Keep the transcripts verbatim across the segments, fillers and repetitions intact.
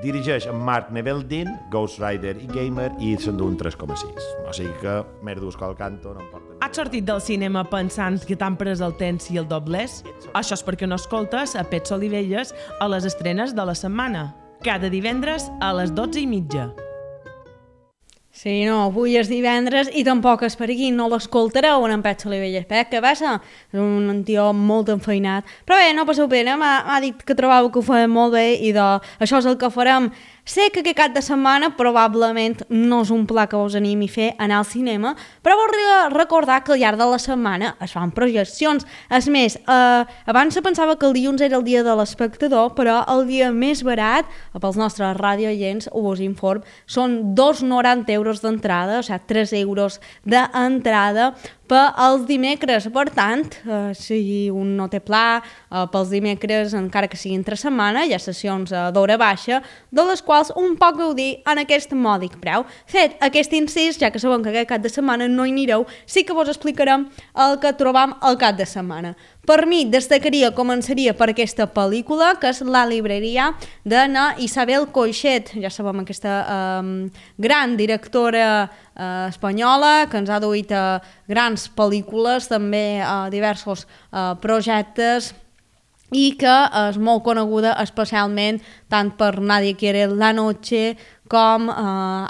dirigeix en Mark Neveldine, Ghost Rider i Gamer, i s'endú un tres coma sis. O sigui que merdos que el canto no em porta... Has sortit del cinema pensant que t'han pres el temps i el doblers? Això és perquè no escoltes a Pets Olivelles a les estrenes de la setmana. Cada divendres a les dotze i mitja. Sí, no, avui és divendres i tampoc és per aquí, no l'escoltareu en Pets Olivelles. Eh, què passa? És un tio molt enfeinat. Però bé, no passeu pena, m'ha dit que trobava que ho feia molt bé i de, això és el que farem. Sé que aquest cap de setmana probablement no és un pla que us animi a fer anar al cinema, però voldria recordar que al llarg de la setmana es fan projeccions. És més, eh, abans se pensava que el dilluns era el dia de l'espectador, però el dia més barat, pels nostres radioients, ho us inform, són dos coma noranta euros d'entrada, o sigui, tres euros d'entrada per als dimecres. Per tant, eh, si un no té pla, eh, pels dimecres, encara que sigui entre setmana, hi ha sessions eh, d'hora baixa, de les quals un poc gaudir en aquest mòdic preu. Fet aquest incís, ja que sabem que aquest cap de setmana no hi anireu, sí que vos explicarem el que trobam al cap de setmana. Per mi, destacaria, començaria per aquesta pel·lícula, que és La libreria, de na Isabel Coixet. Ja sabem, aquesta eh, gran directora eh, espanyola, que ens ha duit a grans pel·lícules, també a diversos eh, projectes, i que és molt coneguda especialment tant per Nadie quiere la noche com eh,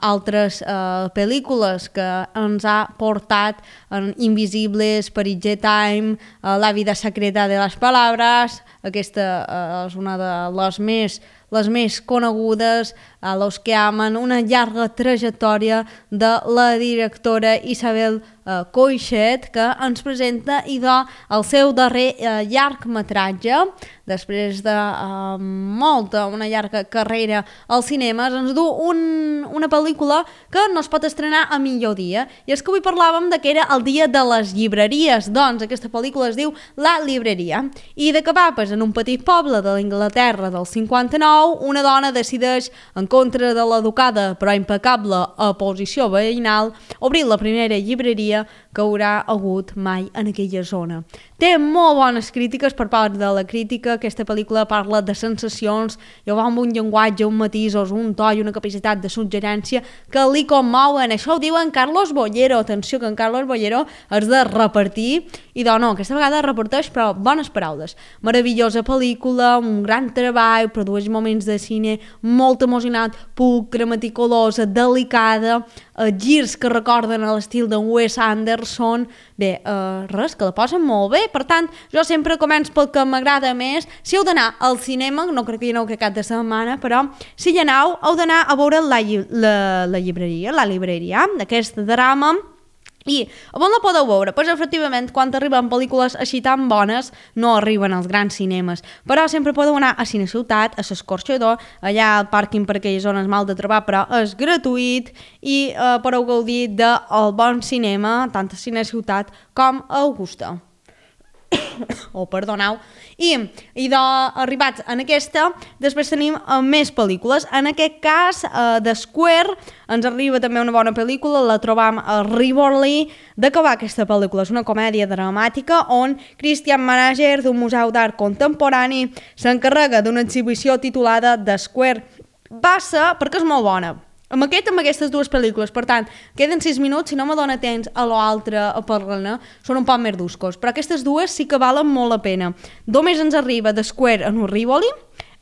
altres eh, pel·lícules que ens ha portat en Invisibles, Parige Time, eh, La vida secreta de les palabras. Aquesta eh, és una de les més, les més conegudes, a Los que aman, una llarga trajectòria de la directora Isabel eh, Coixet, que ens presenta i de el seu darrer eh, llargmetratge, després de eh, molta, una llarga carrera als cinemes, ens du un, una pel·lícula que no es pot estrenar a millor dia. I és que avui parlàvem de que era el dia de les llibreries, doncs aquesta pel·lícula es diu La libreria. I de què va? Pues en un petit poble de l'Inglaterra del cinquanta-nou, una dona decideix, en contra de l'educada però impecable oposició veïnal, obrir la primera llibreria que haurà hagut mai en aquella zona. Té molt bones crítiques per part de la crítica. Aquesta pel·lícula parla de sensacions i va amb un llenguatge, un matisos, un to i una capacitat de suggerència que li commouen. Això ho diu en Carlos Bollero. Atenció, que en Carlos Bollero és de repartir i de no, aquesta vegada reparteix però bones paraules. Meravellosa pel·lícula, un gran treball, produeix moments de cine molt emocionat, pulcre, meticulosa, delicada, eh, girs que recorden a l'estil de Wes Anderson. Bé, eh, res, que la posen molt bé. Per tant, jo sempre començo pel que m'agrada més. Si heu d'anar al cinema, no crec que hi aneu que cap de setmana, però si hi aneu, heu d'anar a veure la, la, la llibreria, la libreria, aquest drama. I on la podeu veure? Pues, efectivament, quan arriben pel·lícules així tan bones, no arriben als grans cinemes. Però sempre podeu anar a Cine Ciutat, a l'Escorxador, allà al pàrquing per aquelles zones mal de trobar, però és gratuït i eh, podeu gaudir del bon cinema, tant a Cine Ciutat com a Augusta. Oh, perdoneu. I, i d'arribats en aquesta, després tenim uh, més pel·lícules. En aquest cas, uh, de Square, ens arriba també una bona pel·lícula, la trobam a Rivoli. De què va aquesta pel·lícula? És una comèdia dramàtica on Christian Manager, d'un museu d'art contemporani, s'encarrega d'una exhibició titulada The Square. Va ser, perquè és molt bona, amb aquest, amb aquestes dues pel·lícules, per tant, queden sis minuts, si no me dóna temps a l'altre a parlar-ne, són un poc més duscos, però aquestes dues sí que valen molt la pena. Només ens arriba de Square en un Rivoli,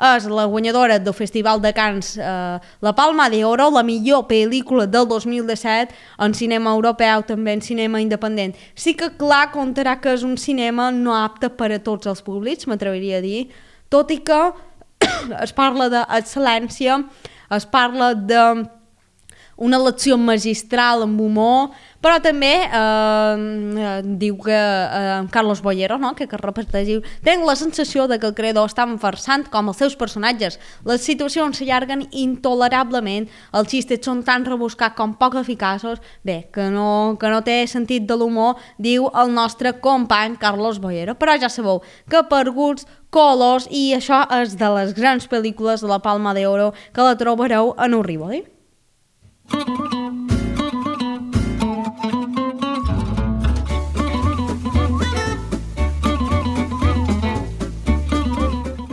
és la guanyadora del Festival de Cannes, eh, la Palma d'Oro, la millor pel·lícula del dos mil disset, en cinema europeu, també en cinema independent. Sí que clar comptarà que és un cinema no apte per a tots els públics, m'atreviria a dir, tot i que es parla d'excel·lència, es parla de una lecció magistral amb humor, però també eh, diu que eh, Carlos Bollero, no? que, que repeteix, diu, tenc la sensació de que el creador està farsant com els seus personatges. Les situacions s'allarguen intolerablement, els xistes són tan rebuscats com poc eficaços, bé, que no, que no té sentit de l'humor, diu el nostre company Carlos Bollero. Però ja sabeu que per gusts, colors, i això és de les grans pel·lícules de la Palma d'Oro que la trobareu en un Rivoli.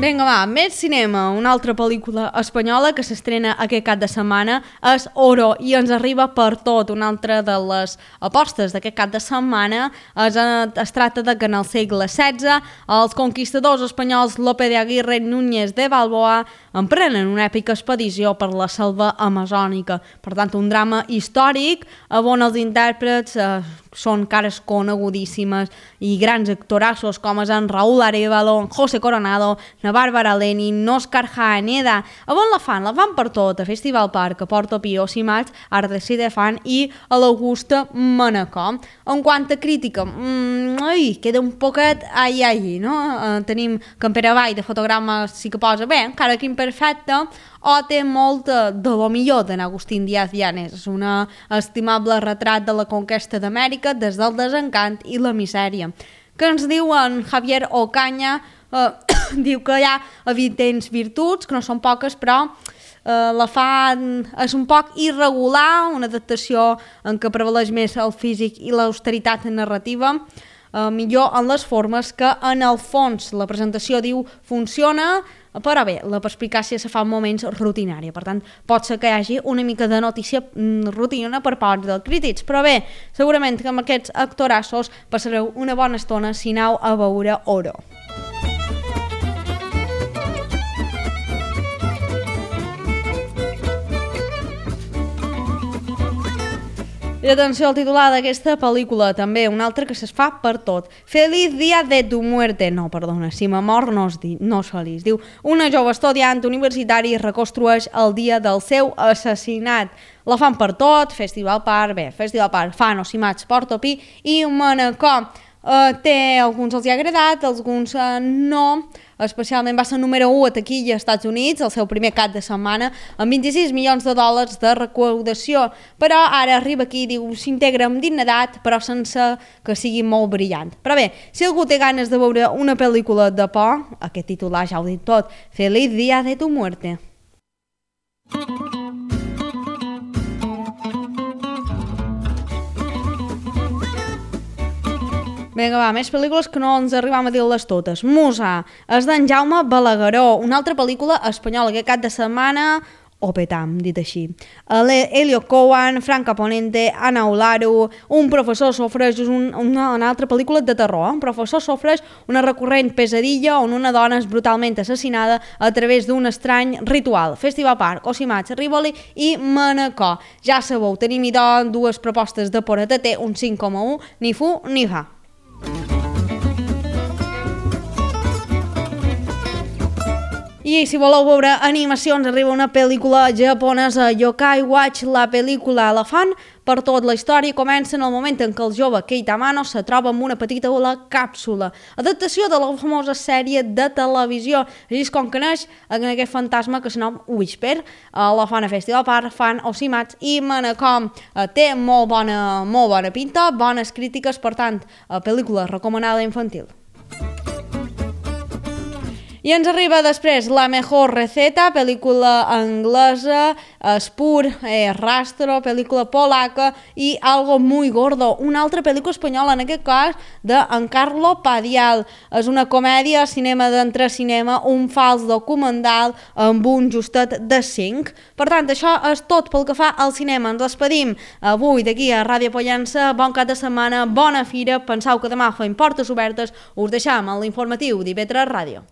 Vinga, va, més cinema. Una altra pel·lícula espanyola que s'estrena aquest cap de setmana és Oro i ens arriba per tot. Una altra de les apostes d'aquest cap de setmana es, es tracta de que en el segle setze els conquistadors espanyols Lope de Aguirre i Núñez de Balboa emprenen una èpica expedició per la selva amazònica. Per tant, un drama històric on els intèrprets eh, són cares conegudíssimes i grans actorassos com és en Raúl Arevalo, José Coronado, na Bàrbara Lenin, Òscar Jaeneda. A on la fan? La fan per tot, a Festival Park, a Porto Pío, Simats, Art de Sidefan i a l'Augusta Manacor. En quant a crítica, mmm, ai, queda un poquet ai ai, no? Uh, tenim que en Pere Vall de Fotograma sí que posa bé, encara que imperfecte, o té molt de lo millor d'en Agustín Díaz Llanes. És un estimable retrat de la conquesta d'Amèrica des del desencant i la misèria. Que ens diu en Javier Ocaña, eh, diu que hi ha evidents virtuts, que no són poques, però eh, la fa, és un poc irregular, una adaptació en què prevaleix més el físic i l'austeritat narrativa, eh, millor en les formes que en el fons. La presentació, diu, funciona, però bé, la perspicàcia se fa en moments rutinària, per tant, pot ser que hi hagi una mica de notícia rutina per part dels crítics, però bé, segurament que amb aquests actorassos passareu una bona estona si aneu a veure Oro. I atenció al titular d'aquesta pel·lícula, també una altra que es fa per tot. Feliz día de tu muerte. No, perdona, si me mor no és, di, no és feliç. Diu, una jove estudiant universitari reconstrueix el dia del seu assassinat. La fan per tot, Festival Park, bé, Festival Park, fan Osimats, Porto Pi i Manacor. Uh, té, alguns els hi ha agradat, alguns uh, no, especialment va ser número u a taquilla als Estats Units, el seu primer cap de setmana, amb vint-i-sis milions de dòlars de recaudació, però ara arriba aquí, diu, s'integra amb dignitat, però sense que sigui molt brillant. Però bé, si algú té ganes de veure una pel·lícula de por, aquest titular ja ho dit tot, Feliz día de tu muerte. Vinga, va, més pel·lícules que no ens arribam a dir-les totes. Musa, és d'en Jaume Balagueró, una altra pel·lícula espanyola aquest cap de setmana, o petam, dit així. Elio Cohen, Franca Ponente, Ana Olaru, un professor sofreix un, una, una altra pel·lícula de terror. Un professor sofreix una recurrent pesadilla on una dona és brutalment assassinada a través d'un estrany ritual. Festival Park, Osimats, Rivoli i Manacor. Ja sabeu, tenim idò dues propostes de por a T T, un cinc coma u, ni fu ni fa. I si voleu veure animacions, arriba una pel·lícula japonesa, Yokai Watch, la pel·lícula la fan per tot. La història comença en el moment en què el jove Kei Tamano se troba amb una petita la càpsula. Adaptació de la famosa sèrie de televisió. Així és com que neix en aquest fantasma que s'anom Whisper. La fan a Festival Park, fan Osimats i Manacor. Té molt bona, molt bona pinta, bones crítiques, per tant, pel·lícula recomanada infantil. I ens arriba després La Mejor Receta, pel·lícula anglesa, Spur, eh, Rastro, pel·lícula polaca i Algo Muy Gordo, una altra pel·lícula espanyola, en aquest cas d'en Carlo Padial. És una comèdia, cinema d'entre cinema, un fals documental amb un justet de cinc. Per tant, això és tot pel que fa al cinema. Ens despedim avui d'aquí a Ràdio Pollença. Bon cap de setmana, bona fira. Penseu que demà fem portes obertes. Us deixam en l'informatiu d'I V tres Ràdio.